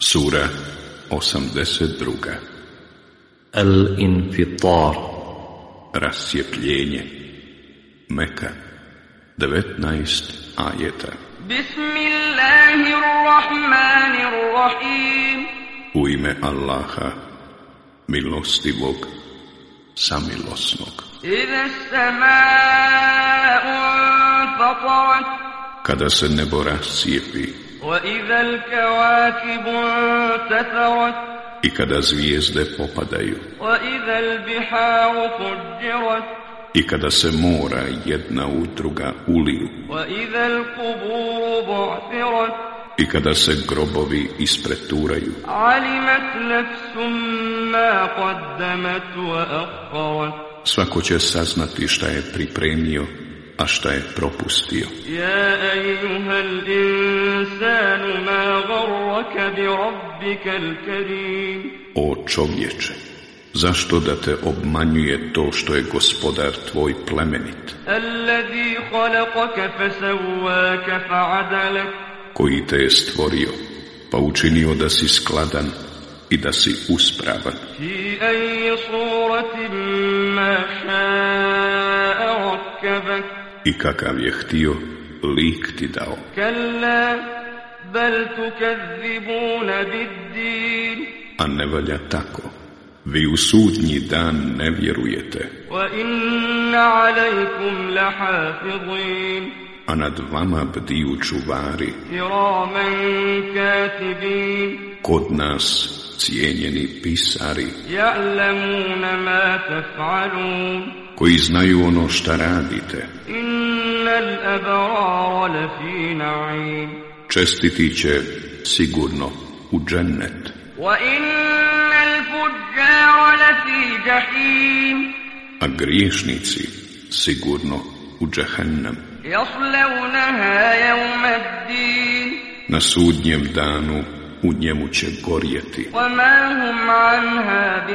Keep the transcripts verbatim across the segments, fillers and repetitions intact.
Sura osamdeset druga. Al-Infitar. Rascijepljenje. Meka, devetnaest ajeta. Bismillahirrahmanirrahim. U ime Allaha, milostivog, samilosnog. Iza as-sama'u fatarat. Kada se nebo rascijepi, Wa iza al-kawakibu intatharat. i kada zvijezde popadaju, Wa iza al-biharu fujjirat. i kada se mora jedna u druga uliju, Wa iza al-quburu bu'thirat. i kada se grobovi ispreturaju, Alimat nafsum ma qaddamat wa akharat. svako će saznati šta je pripremio, a šta je propustio. Ya ayyuhal insanu ma gharraka bi rabbikal karim. O čovječe, zašto da te obmanjuje to što je gospodar tvoj plemenit, Alladhi khalaqaka fasawwaka fa'adalak. koji te je stvorio, pa učinio da si skladan i da si uspravan, Fi ayyi suratin ma sha'a rakkabak. i kakav je htio, lik ti dao. Kalla bal tukazzibuna bid-din. A ne valja tako. Vi u sudnji dan ne vjerujete, Wa inna alaykum lahafizin. a nad vama bdiju čuvari, Kiraman katibin. kod nas cijenjeni pisari, Ya'lamuna ma taf'alun. koji znaju ono šta radite. Innal abrara lafi na'im. Čestiti će sigurno u džennet, Wa innal fujjara lafi jahim. a griješnici sigurno u džehennem. Yaslawnaha yawma ad-din. Na sudnjem danu u njemu će gorjeti, Wa ma hum anha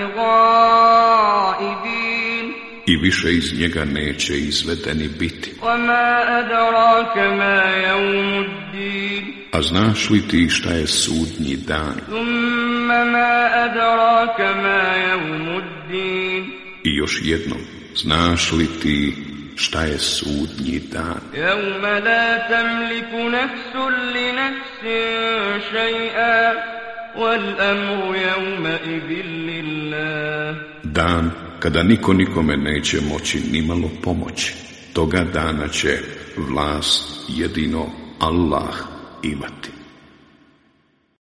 bighaibin. i više iz njega neće izvedeni biti. Wa ma adraka ma yawmu ad-din. A znaš li ti šta je sudnji dan? Thumma ma adraka ma yawmu ad-din. I još jednom, znaš li ti šta je sudnji dan? Yawma la tamliku nafsun li nafsin shay'an wal amru yawma idhin lillah. Dan kada niko nikome neće moći nimalo pomoći. Toga dana će vlast jedino Allah imati.